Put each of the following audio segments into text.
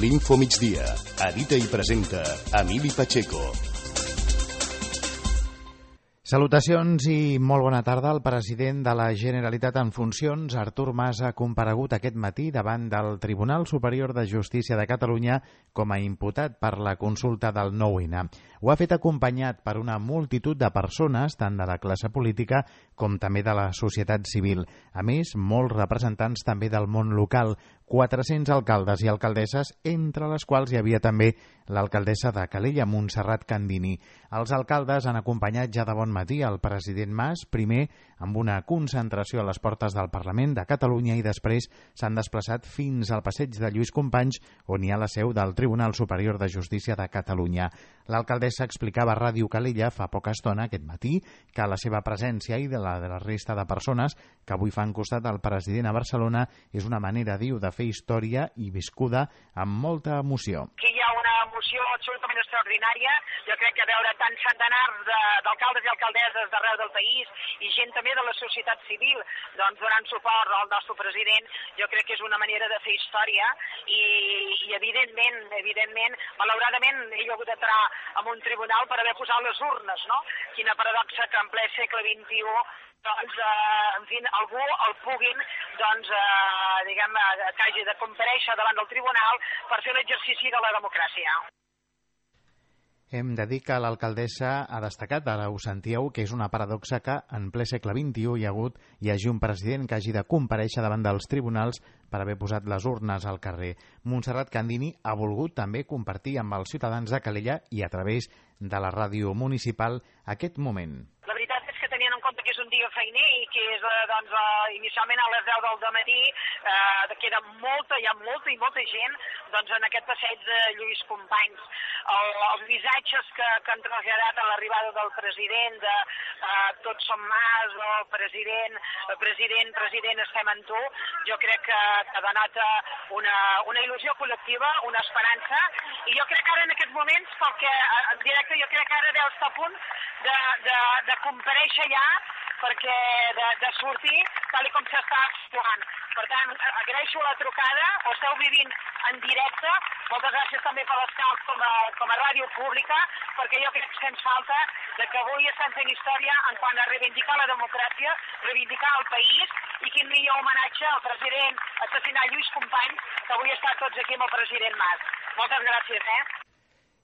L'Info Migdia. Edita i presenta Emili Pacheco. Salutacions i molt bona tarda. El president de la Generalitat en funcions, Artur Mas, ha comparegut aquest matí davant del Tribunal Superior de Justícia de Catalunya com a imputat per la consulta del 9-N. Ho ha fet acompanyat per una multitud de persones, tant de la classe política com també de la societat civil. A més, molts representants també del món local, 400 alcaldes i alcaldesses, entre les quals hi havia també l'alcaldessa de Calella, Montserrat Candini. Els alcaldes han acompanyat ja de bon matí el president Mas, primer amb una concentració a les portes del Parlament de Catalunya i després s'han desplaçat fins al passeig de Lluís Companys, on hi ha la seu del Tribunal Superior de Justícia de Catalunya. L'alcaldessa explicava a Ràdio Calella fa poca estona, aquest matí, que la seva presència i de la resta de persones que avui fan costat al president a Barcelona és una manera, diu, de fer història i viscuda amb molta emoció. Aquí hi ha una emoció absolutament extraordinària. Jo crec que veure tants centenars d'alcaldes i alcaldesses d'arreu del país i gent també de la societat civil donant suport al nostre president, jo crec que és una manera de fer història i evidentment, malauradament he hagut d'entrar en un tribunal per haver posat les urnes, no? Quina paradoxa que en ple segle XXI algú el puguin, que hagi de comparèixer davant del tribunal per fer l'exercici de la democràcia. Hem de dir que l'alcaldessa ha destacat, ara ho sentíeu, que és una paradoxa que en ple segle XXI hi hagi un president que hagi de comparèixer davant dels tribunals per haver posat les urnes al carrer. Montserrat Candini ha volgut també compartir amb els ciutadans de Calella i a través de la ràdio municipal aquest moment. La veritat és que tenint en compte que és un dia feiner i que és inicialment a les 10 del dematí, queda hi ha molta gent en aquest passeig de Lluís Companys. Els missatges que han traslladat a l'arribada del president de tots som Mas, o president, estem amb tu, jo crec que denota una il·lusió col·lectiva, una esperança, i jo crec que ara en aquests moments, en directe, jo crec que ara deu estar a punt de comparèixer ja, perquè de sortir tal com s'està actuant. Per tant, agraeixo la trucada, ho esteu vivint en directe, moltes gràcies també per l'escalf com a ràdio pública, perquè jo crec que ens falta que avui estem fent història en quant a reivindicar la democràcia, reivindicar el país, i quin millor homenatge al president assassinat Lluís Companys, que avui està tots aquí amb el president Mas. Moltes gràcies,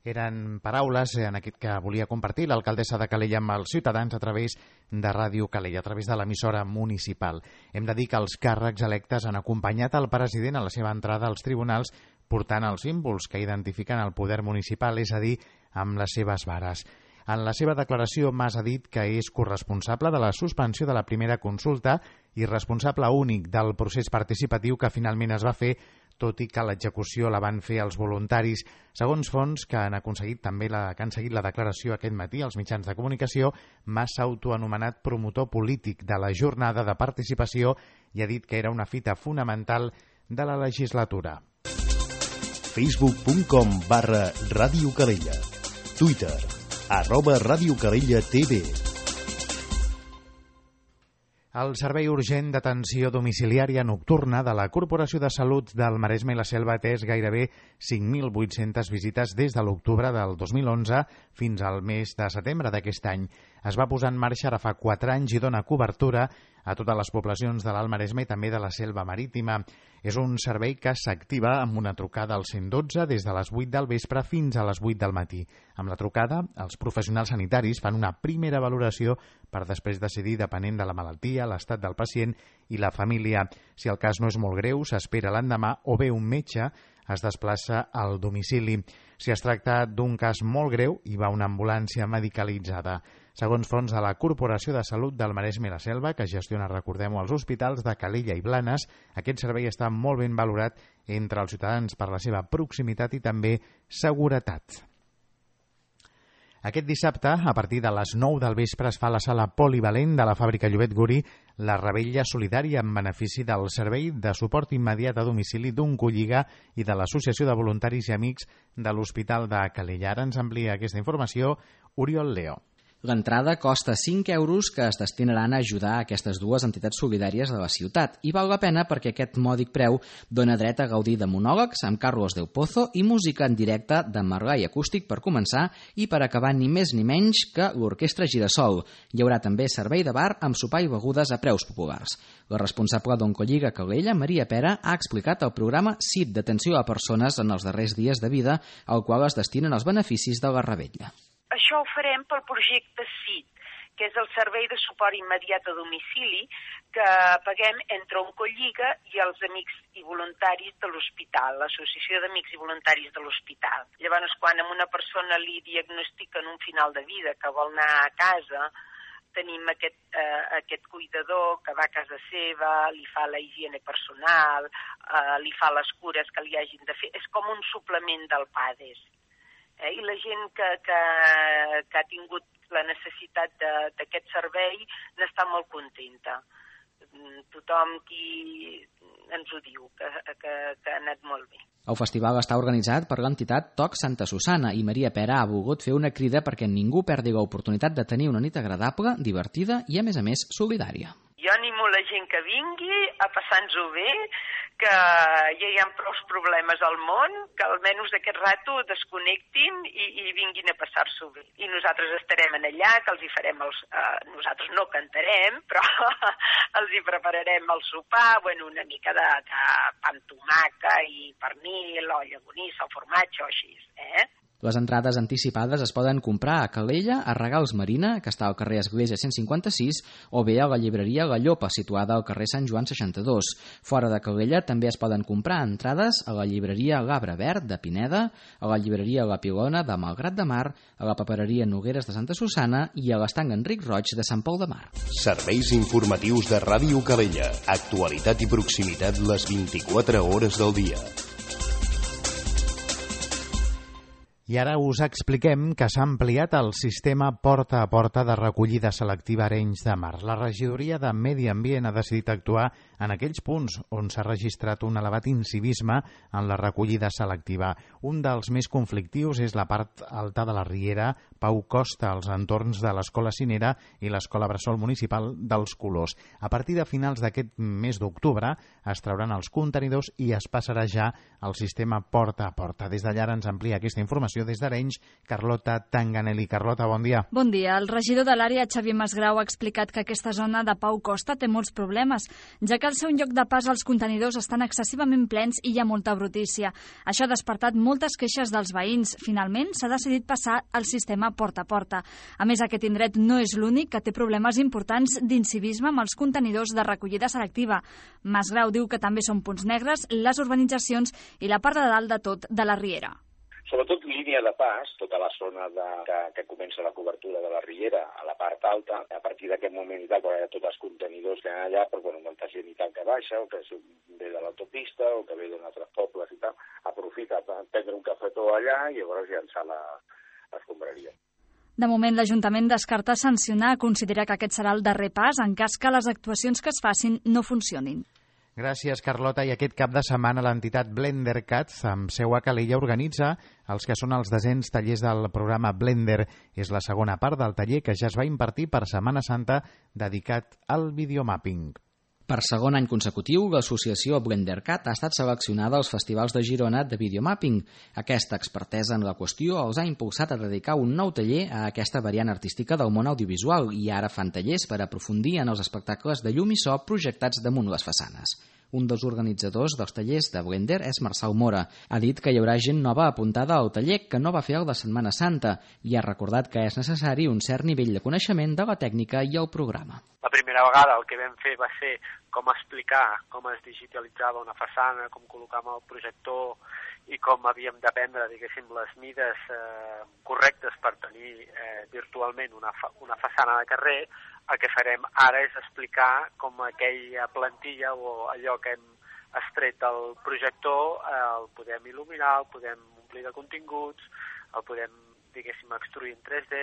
Eren paraules en aquest que volia compartir l'alcaldessa de Calella amb els ciutadans a través de Ràdio Calella, a través de l'emissora municipal. Hem de dir que els càrrecs electes han acompanyat el president a la seva entrada als tribunals portant els símbols que identifiquen el poder municipal, és a dir, amb les seves vares. En la seva declaració, Mas ha dit que és corresponsable de la suspensió de la primera consulta i responsable únic del procés participatiu que finalment es va fer, tot i que l'execució la van fer els voluntaris. Segons fonts que han seguit la declaració aquest matí als mitjans de comunicació, Mas s'ha autoanomenat promotor polític de la jornada de participació i ha dit que era una fita fonamental de la legislatura. Facebook.com/Ràdio Calella. Twitter @Ràdio Calella TV. El Servei Urgent d'Atenció Domiciliària Nocturna de la Corporació de Salut del Maresme i la Selva ha atès gairebé 5.800 visites des de l'octubre del 2011 fins al mes de setembre d'aquest any. Es va posar en marxa ara fa 4 anys i dona cobertura a totes les poblacions de l'Alt Maresme i també de la Selva Marítima. És un servei que s'activa amb una trucada al 112 des de les 8 del vespre fins a les 8 del matí. Amb la trucada, els professionals sanitaris fan una primera valoració per després decidir, depenent de la malaltia, l'estat del pacient i la família. Si el cas no és molt greu, s'espera l'endemà o bé un metge es desplaça al domicili. Si es tracta d'un cas molt greu, hi va una ambulància medicalitzada. Segons fonts de la Corporació de Salut del Maresme i la Selva, que gestiona, recordem-ho, els hospitals de Calella i Blanes, aquest servei està molt ben valorat entre els ciutadans per la seva proximitat i també seguretat. Aquest dissabte, a partir de les 9 del vespre, es fa a la sala polivalent de la fàbrica Llobet Guri la revetlla solidària en benefici del servei de suport immediat a domicili d'un Colliga i de l'Associació de Voluntaris i Amics de l'Hospital de Calella. Ara ens amplia aquesta informació Oriol Leo. L'entrada costa 5 euros que es destinaran a ajudar aquestes dues entitats solidàries de la ciutat i val la pena perquè aquest mòdic preu dona dret a gaudir de monòlegs amb Carlos Del Pozo i música en directe de Margall acústic per començar i per acabar ni més ni menys que l'Orquestra Girasol. Hi haurà també servei de bar amb sopar i begudes a preus populars. La responsable d'Oncolliga Calella, Maria Pera, ha explicat el programa CIT d'atenció a persones en els darrers dies de vida, al qual es destinen els beneficis de la revetlla. Això ho farem pel projecte CIT, que és el servei de suport immediat a domicili que paguem entre Oncolliga i els amics i voluntaris de l'hospital, l'Associació d'Amics i Voluntaris de l'Hospital. Llavors, quan a una persona li diagnostiquen un final de vida que vol anar a casa, tenim aquest cuidador que va a casa seva, li fa la higiene personal, li fa les cures que li hagin de fer. És com un suplement del PADES. I la gent que ha tingut la necessitat d'aquest servei n'està molt contenta. Tothom qui ens ho diu, que ha anat molt bé. El festival està organitzat per l'entitat TOC Santa Susana i Maria Pera ha volgut fer una crida perquè ningú perdi l'oportunitat de tenir una nit agradable, divertida i, a més, solidària. Jo animo la gent que vingui a passar-nos-ho bé, que ja hi ha prou problemes al món, que almenys aquest rato desconnectin i vinguin a passar-s'ho bé. I nosaltres estarem allà, que els hi farem nosaltres no cantarem, però els hi prepararem el sopar, una mica de pa amb tomaca i pernil, o llagonissa, o formatge, o així, Les entrades anticipades es poden comprar a Calella, a Regals Marina, que està al carrer Església 156, o bé a la llibreria La Llopa, situada al carrer Sant Joan 62. Fora de Calella també es poden comprar entrades a la llibreria L'Arbre Verd de Pineda, a la llibreria La Pilona de Malgrat de Mar, a la papereria Nogueres de Santa Susana i a l'estanc Enric Roig de Sant Pol de Mar. Serveis informatius de Ràdio Calella. Actualitat i proximitat les 24 hores del dia. I ara us expliquem que s'ha ampliat el sistema porta a porta de recollida selectiva Arenys de Mar. La regidoria de Medi Ambient ha decidit actuar en aquells punts on s'ha registrat un elevat incivisme en la recollida selectiva. Un dels més conflictius és la part alta de la Riera Pau Costa, als entorns de l'Escola Cinera i l'Escola Bressol Municipal dels Colors. A partir de finals d'aquest mes d'octubre es trauran els contenidors i es passarà ja al sistema porta a porta. Des d'allà ens amplia aquesta informació des d'Arenys, Carlota Tanganelli. Carlota, bon dia. Bon dia. El regidor de l'àrea, Xavier Masgrau, ha explicat que aquesta zona de Pau Costa té molts problemes, ja que al seu lloc de pas els contenidors estan excessivament plens i hi ha molta brutícia. Això ha despertat moltes queixes dels veïns. Finalment, s'ha decidit passar al sistema porta a porta. A més, aquest indret no és l'únic que té problemes importants d'incivisme amb els contenidors de recollida selectiva. Masgrau diu que també són punts negres les urbanitzacions i la part de dalt de tot de la Riera. Sobretot línia de pas, tota la zona que comença la cobertura de la Riera a la part alta, a partir d'aquest moment i tal, quan hi ha tots els contenidors que hi ha allà, però molta gent i tal que baixa, o que ve de l'autopista, o que ve d'un altre pobles i tal, aprofita per prendre un cafetó allà i llavors llançar l'escombraria. De moment, l'Ajuntament descarta sancionar, considera que aquest serà el darrer pas en cas que les actuacions que es facin no funcionin. Gràcies, Carlota. I aquest cap de setmana l'entitat Blender Cats, amb seu a Calella, organitza els que són els 200 tallers del programa Blender. És la segona part del taller que ja es va impartir per Setmana Santa dedicat al videomapping. Per segon any consecutiu, l'associació BlenderCat ha estat seleccionada als festivals de Girona de videomapping. Aquesta expertesa en la qüestió els ha impulsat a dedicar un nou taller a aquesta variant artística del món audiovisual i ara fan tallers per aprofundir en els espectacles de llum i so projectats damunt les façanes. Un dels organitzadors dels tallers de Blender és Marçal Mora. Ha dit que hi haurà gent nova apuntada al taller que no va fer el de Setmana Santa i ha recordat que és necessari un cert nivell de coneixement de la tècnica i el programa. La primera vegada el que vam fer va ser com explicar com es digitalitzava una façana, com col·locàvem el projector i com havíem de prendre, diguéssim, les mides correctes per tenir virtualment una façana de carrer. El que farem ara és explicar com aquella plantilla o allò que hem extret del projector el podem il·luminar, el podem omplir de continguts, el podem, diguéssim, extruir en 3D.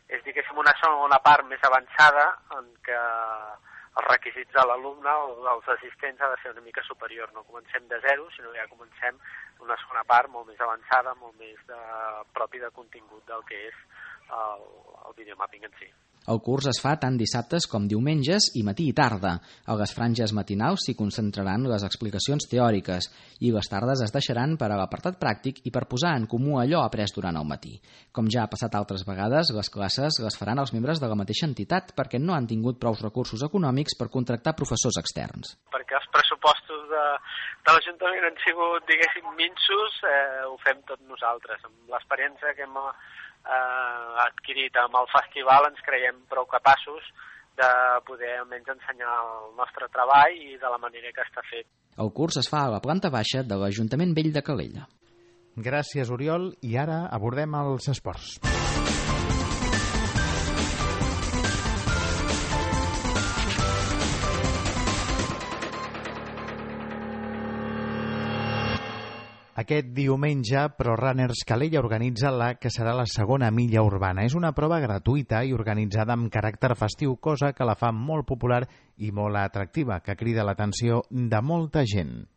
És, diguéssim, una segona part més avançada en què els requisits de l'alumne o dels assistents ha de ser una mica superior. No comencem de zero, sinó que ja comencem una segona part molt més avançada, molt més propi de contingut del que és el videomapping en si. El curs es fa tant dissabtes com diumenges i matí i tarda. A les franges matinals s'hi concentraran les explicacions teòriques i les tardes es deixaran per a l'apartat pràctic i per posar en comú allò après durant el matí. Com ja ha passat altres vegades, les classes les faran els membres de la mateixa entitat perquè no han tingut prous recursos econòmics per contractar professors externs. Perquè els pressupostos de l'Ajuntament han sigut, diguéssim, minsos, ho fem tot nosaltres. Amb l'experiència que hem adquirit amb el festival ens creiem prou capaços de poder almenys ensenyar el nostre treball i de la manera que està fet. El curs es fa a la planta baixa de l'Ajuntament Vell de Calella. Gràcies, Oriol. I ara abordem els esports. Aquest diumenge, ProRunners Calella organitza la que serà la segona milla urbana. És una prova gratuïta i organitzada amb caràcter festiu, cosa que la fa molt popular i molt atractiva, que crida l'atenció de molta gent.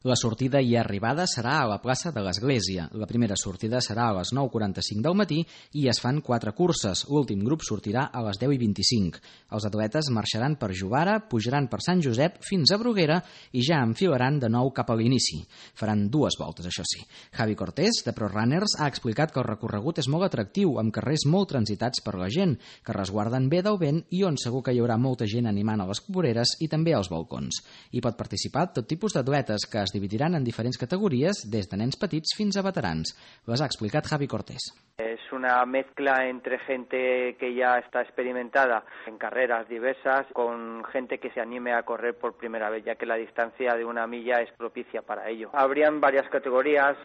La sortida i arribada serà a la plaça de l'Església. La primera sortida serà a les 9:45 del matí i es fan 4 curses. L'últim grup sortirà a les 10:25. Els atletes marxaran per Jovara, pujaran per Sant Josep fins a Bruguera i ja enfilaran de nou cap a l'inici. Faran 2 voltes, això sí. Javi Cortés, de ProRunners, ha explicat que el recorregut és molt atractiu, amb carrers molt transitats per la gent, que resguarden bé del vent i on segur que hi haurà molta gent animant a les voreres i també als balcons. Hi pot participar tot tipus d'atletes que es dividiran en diferents categories, des de nens petits fins a veterans. Les ha explicat Javi Cortés. Es una mezcla entre gente que ya está experimentada en carreras diversas con gente que se anime a correr por primera vez, ya que la distancia de una milla es propicia para ello. Habrían varias categorías,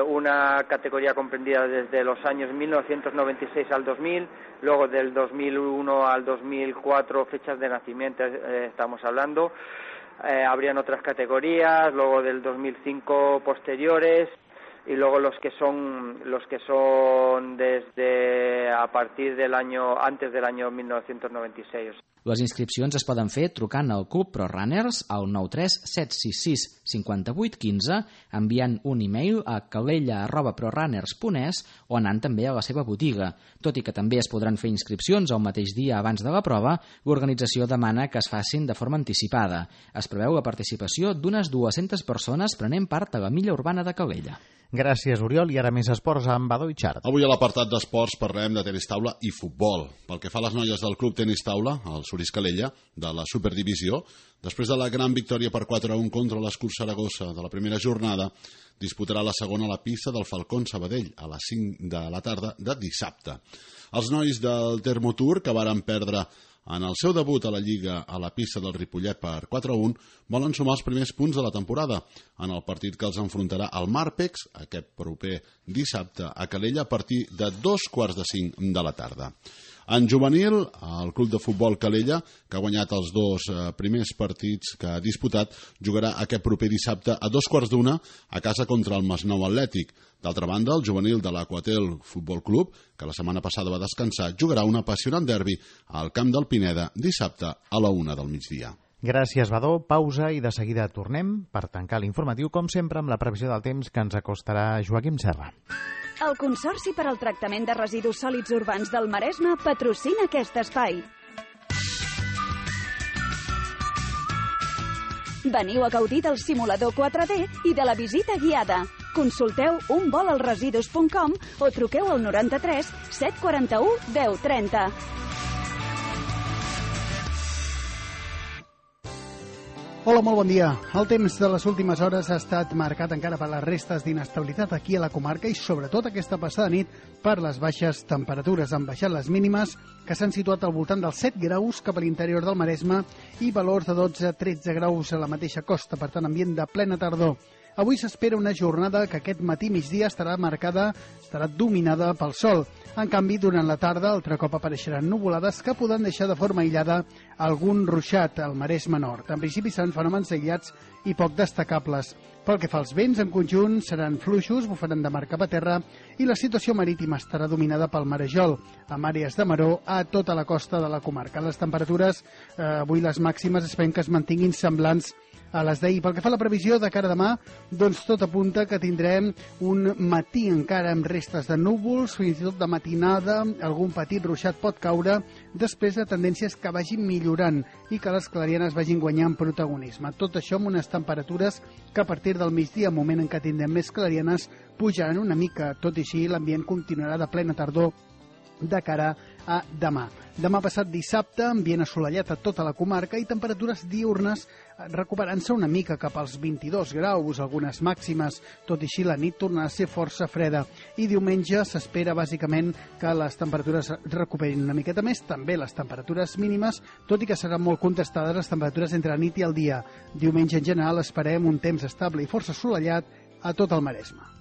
una categoría comprendida desde los años 1996 al 2000, luego del 2001 al 2004, fechas de nacimiento estamos hablando. Habrían otras categorías, luego del 2005 posteriores y luego los que son desde a partir del año antes del año 1996. Les inscripcions es poden fer trucant al Club ProRunners al 93 766 58 15, enviant un e-mail a calella@prorunners.es o anant també a la seva botiga. Tot i que també es podran fer inscripcions el mateix dia abans de la prova, l'organització demana que es facin de forma anticipada. Es preveu la participació d'unes 200 persones prenent part a la milla urbana de Calella. Gràcies, Oriol. I ara més esports amb Badó i Xart. Avui a l'apartat d'esports parlem de tenis taula i futbol. Pel que fa a les noies del Club Tenis Taula, el Suris Calella, de la Superdivisió, després de la gran victòria per 4-1 contra l'Escur Saragossa de la primera jornada, disputarà la segona a la pista del Falcón Sabadell a les 5 de la tarda de dissabte. Els nois del Termotour, que varen perdre en el seu debut a la Lliga a la pista del Ripollet per 4-1, volen sumar els primers punts de la temporada en el partit que els enfrontarà al Marpex aquest proper dissabte a Calella a partir de 4:45 de la tarda. En juvenil, el Club de Futbol Calella, que ha guanyat els 2 primers partits que ha disputat, jugarà aquest proper dissabte a 2:15 a casa contra el Masnou Atlètic. D'altra banda, el juvenil de l'Aquatel Futbol Club, que la setmana passada va descansar, jugarà un apassionant derbi al camp del Pineda dissabte a la 1 del migdia. Gràcies, Badó. Pausa i de seguida tornem per tancar l'informatiu, com sempre, amb la previsió del temps que ens acostarà Joaquim Serra. El Consorci per al Tractament de Residus Sòlids Urbans del Maresme patrocina aquest espai. Veniu a gaudir del simulador 4D i de la visita guiada. Consulteu unvolalresidus.com o truqueu al 93 741 1030. Hola, molt bon dia. El temps de les últimes hores ha estat marcat encara per les restes d'inestabilitat aquí a la comarca i sobretot aquesta passada nit per les baixes temperatures. Han baixat les mínimes, que s'han situat al voltant dels 7 graus cap a l'interior del Maresme i valors de 12-13 graus a la mateixa costa, per tant ambient de plena tardor. Avui s'espera una jornada que aquest matí migdia estarà dominada pel sol. En canvi, durant la tarda, altre cop apareixeran nuvolades que poden deixar de forma aïllada algun ruixat al Maresme Nord. En principi seran fenòmens aïllats i poc destacables. Pel que fa als vents, en conjunt seran fluixos, bufaran de mar cap a terra i la situació marítima estarà dominada pel marejol, amb àrees de maró a tota la costa de la comarca. Les temperatures, avui les màximes, esperem que es mantinguin semblants a les d'ahir. Pel que fa a la previsió de cara a demà, doncs tot apunta que tindrem un matí encara amb restes de núvols, fins i tot de matinada, algun petit ruixat pot caure, després de tendències que vagin millorant i que les clarianes vagin guanyant protagonisme. Tot això amb unes temperatures que a partir del migdia, moment en què tindrem més clarianes, pujaran una mica. Tot i així, l'ambient continuarà de plena tardor de cara a demà. Demà passat dissabte, ambient assolellat a tota la comarca i temperatures diurnes recuperant-se una mica cap als 22 graus, algunes màximes. Tot i així, la nit tornarà a ser força freda. I diumenge s'espera bàsicament que les temperatures recuperin una miqueta més, també les temperatures mínimes, tot i que seran molt contestades les temperatures entre la nit i el dia. Diumenge en general esperem un temps estable i força assolellat a tot el Maresme.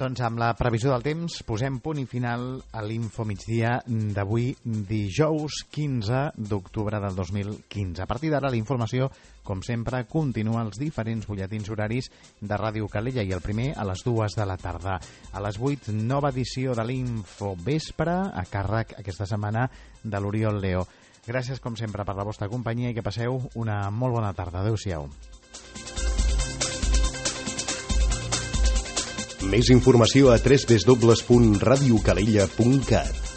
Doncs amb la previsió del temps posem punt i final a l'Infomigdia d'avui, dijous 15 d'octubre del 2015. A partir d'ara la informació, com sempre, continua als diferents butlletins horaris de Ràdio Calella i el primer a les 2 de la tarda. A les 8, nova edició de l'Infovespre, a càrrec aquesta setmana de l'Oriol Leo. Gràcies, com sempre, per la vostra companyia i que passeu una molt bona tarda. Adéu-siau. Més informació a www.radiocalella.cat.